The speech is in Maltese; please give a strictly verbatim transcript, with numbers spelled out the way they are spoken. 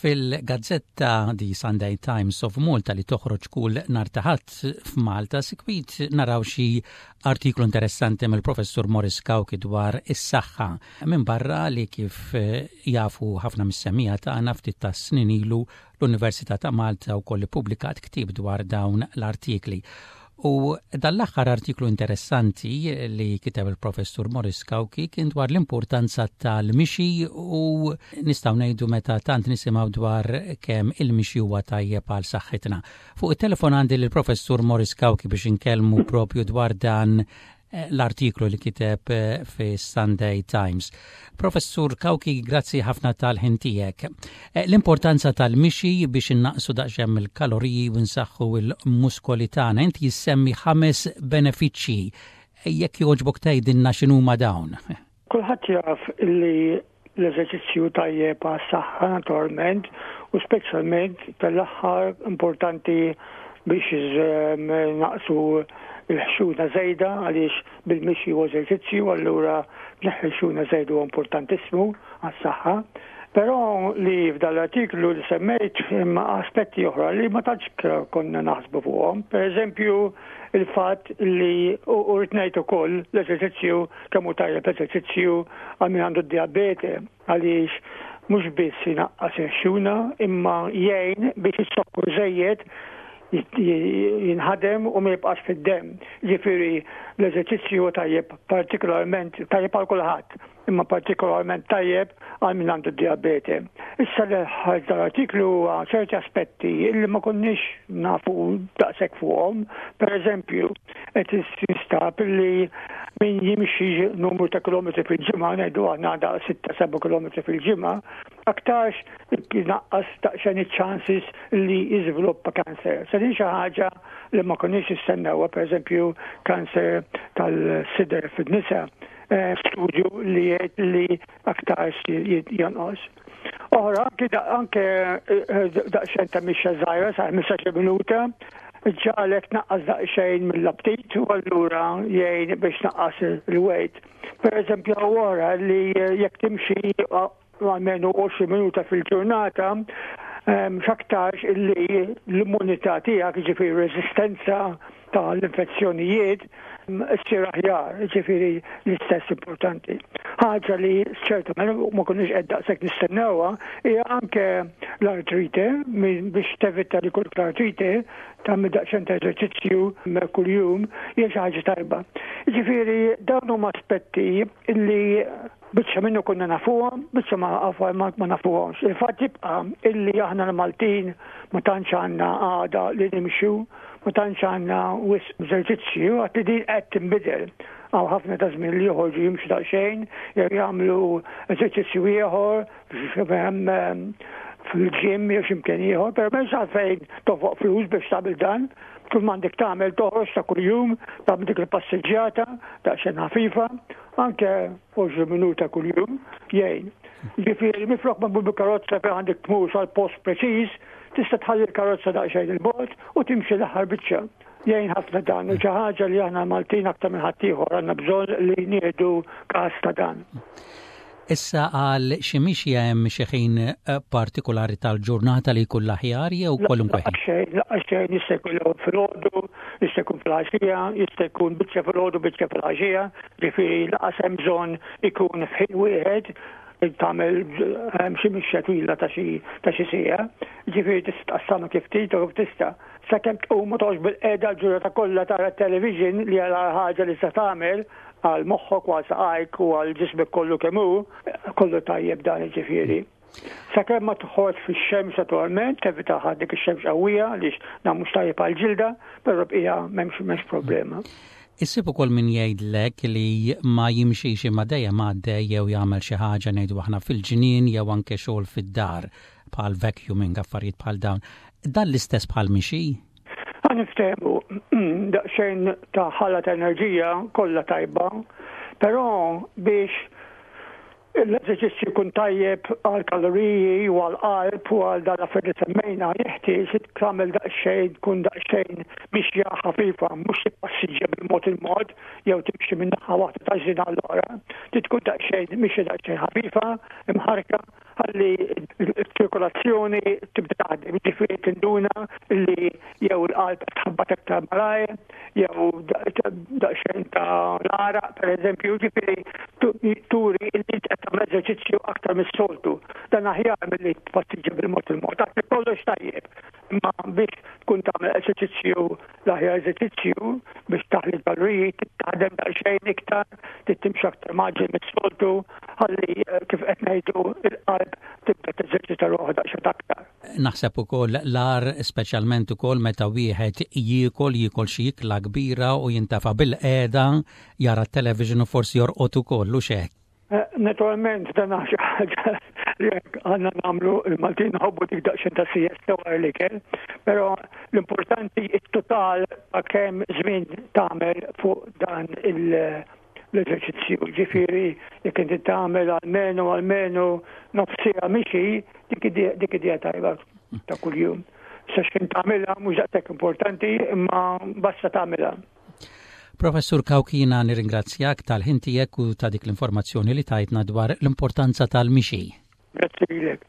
Fil-gazzetta The Sunday Times of Malta li toħroġ kull nhar ta' Ħadd f'Malta sikwit naraw xi artiklu interessanti mill-professur Morris Cauchi dwar is-saħħa. Minn barra li kif eh, jafu ħafna mis-semmiegħa tagħna ftit ta' snin ilu l-Università ta' Malta wkoll ippubblikat ktieb dwar dawn l-artikli. U dal-aħħar artiklu interessanti li kiteb il-professur Morris Cauchi kien dwar l-importanza tal-mixi u nistgħu ngħidu meta tant nisimgħu dwar kemm il-mixi huwa tajjeb għal saħħitna. Fuq it-telefon għandi l-professur Morris Cauchi biex inkellmu propju dwar dan eh, l-artiklu li kiteb eh, fi Sunday Times. Professur Cauchi, grazzi ħafna tal-ħin tiegħek. Eh, l-importanza tal-mixi biex innaqsu daqsxejn il-kaloriji u nsaħħu il-muskoli tagħna, inti issemmi ħames benefiċċji. Jekk jogħġbok tgħidilna x'inhuma dawn. Kulħadd jaf li l-eżerċizzju tajjeb għas-saħħa naturalment u speċjalment tal-aħħar importanti biex naqsu il-ħxuna żejda għaliex bil-mixi u eżerċizzju allura tneħħi l-ħxuna żejda huwa importantissimu għas-saħħa. Però li f'dal artiklu li semmejt imma aspetti oħra li ma tantx konna naħsbu fuqhom. Per eżempju, il-fatt li u rrid ngħid ukoll l-eżerċizzju kemm hu tajjeb eżerċizzju għal min għandu d-diabete għaliex mhux biss inaqqas il-ħxuna imma jgħin biex is-sokkor żejjed jinħadem u ma jibqax fid-dem. Ġifieri l-eżerċizzju tajjeb partikolarment tajjeb għal kulħadd, imma partikolarment tajjeb għal min għandu diabete. Issa li ħarġ dal-artiklu huwa ċerti aspetti li ma konniex nafu daqshekk fuqhom. Per eżempju, qed jinstab li min jimxi numru ta' kilometri fil-ġimgħa, ngħidu aħna da' sitta seba' kilometri fil-ġimgħa, aktarx naqqas daqsxejn iċ-chances li jiżviluppa kanser. Se din xi ħaġa li ma konniex nistennewha, pereżempju kanser tal-sider fin-nisa, eh, studju li jgħid li aktarx jonqos. Oħra, anke anke eh, daqsxejn ta' mixja żgħira sa' ħmistax-il minuta, ġagħlek tnaqqas daqsxejn mill-aptit u allura jgħin biex naqqas il-weight. Per eżempju, wara li jekk timxi almenu għoxrin minuta fil-ġurnata, x'aktarx illi l-immunità tiegħek, ġifieri resistenza tal-infezzjonijiet, ssir aħjar, ġifieri l-istess importanti. Ħaġa li ċertament ma konniex qed daqshekk nistennewha hija anke l-artrite, biex tevita li kull l-artrite tagħmel daqsxejn ta' eżerċizzju kuljum hija xi ħaġa tajba. Ġifieri dawn huma aspetti illi biċċa minnu konna nafuhom, biċċa ma ma, ma nafuhomx. Il-fatt jibqa' illi aħna l-Maltin ma tantx għandna għada li nimxu, ma tantx għandna wisq eżerċizzju, għad li din qed tinbidel. Hawn ħafna ta' żmien li joħorġu jimxu daqsxejn, jew jagħmlu eżerċizzju ieħor fil-gym jew x'imkien ieħor, però m'hemmx għalfejn tonfoq flus biex tagħmel dan. Kull m'għandek tagħmel toħroġ ta' kuljum, tagħmel dik il-passiġġjata daqsxejn ħafifa, anke għoxrin minuta kuljum jgħin. Ġifieri minflok ma tmur bil-karozza fejn għandek tmur sal-post preċiż, tista' tħalli l-karozza daqsxejn il-bogħod u timxi l-aħħar biċċa. Jgħin ħafna dan u xi ħaġa li aħna Maltin aktar minn ħaddieħor għandna bżonn li nieħdu każ ta' dan. Issa għal xi mixja hemm xi ħin eh, partikolari tal-ġurnata li jkun l-aħjar jew kwalunkwe ħin? Xejn, lanqas xejn, jista' jkun filgħodu, jista' jkun filgħaxija, jista' jkun biċċa filgħodu, biċċa filgħaxija, ġifieri lanqas hemm bżonn ikun f'ħin wieħed tagħmel ehm, xi mixja twila ta' xi ta' xi siegħa, ġifieri tista' tqassamha kif trid u kif tista'. Sakemm tqum ma toqgħodx bilqiegħda l-ġurnata kollha tara television li għal ħaġa li se tagħmel għal moħħok u għal saqajk u għal ġismek kollu kemm hu, kollu tajjeb dan ġifieri. Sakemm ma toħroġ fix-xemx naturalment, tevita dik ix-xemx qawwija għaliex dan mhux tajjeb għal ġilda, però bqija m'hemmx m'hemmx problema. Issib ukoll min jgħidlek li ma jimxix imma dejjem għaddej jew jagħmel xi ħaġa ngħidu aħna fil-ġnien jew anke xogħol fid-dar bħal vacuuming affarijiet bħal dawn. Dan l-istess bħal mixi? Ħa niftehmu daqsxejn ta' ħala ta' enerġija kollha tajba, però biex l-eżerċizzju jkun tajjeb għal kaloriji u għal qalb u għal dan l-affarijiet li semmejna, jeħtieġ tagħmel daqsxejn tkun daqsxejn mixja ħafifa, mhux tippassiġġja bil-mod il-mod jew timxi minn naħa waħda ta' ġnien għall-oħra. Trid tkun daqsxejn mixja daqsxejn ħafifa, imħarka Ħalli ċ-ċirkolazzjoni tibda taħdem, ġifieri tinduna li jew il-qalb tħabbat aktar malajr, jew daqsxejn ta' l-għaraq, per eżempju, ġifieri turi li qed tagħmel eżerċizzju aktar mis-soltu. Dan aħjar milli tpassiġġa bil-mod il-mod. Dak kollox tajjeb. Imma biex tkun tagħmel eżerċizzju, l-aħjar eżerċizzju biex taħli kaloriji, taħdem daqsxejn iktar, timxi aktar mgħaġġel mis-soltu, ħalli eh, kif qed ngħidu il-qalb tibda teżerċita ruħha daqsxejn aktar. Naħseb ukoll l-agħar, speċjalment ukoll meta wieħed jiekol jiekol xi ikla kbira u jintafa' bil-qiegħda jara t-television u forsi jorqod ukoll u xek. Eh, naturalment, dan xi ħaġa li għandna nagħmlu, il-Maltin nħobbu dik daqsxejn ta' siesta wara l-ikel, però l-importanti it-total ta' kemm żmien tagħmel fuq dan l-eżerċizzju. Ġifieri jekk inti tagħmel almenu almenu nofs siegħa mixi, dik idea tajba ta' kuljum. Sa x'kien tagħmilha mhux daqshekk importanti, imma basta tagħmilha. Professur Cauchi, jiena nirringrazzjak tal-ħin tiegħek u ta' dik l-informazzjoni li tajtna dwar l-importanza tal-mixi. Grazzi lilek.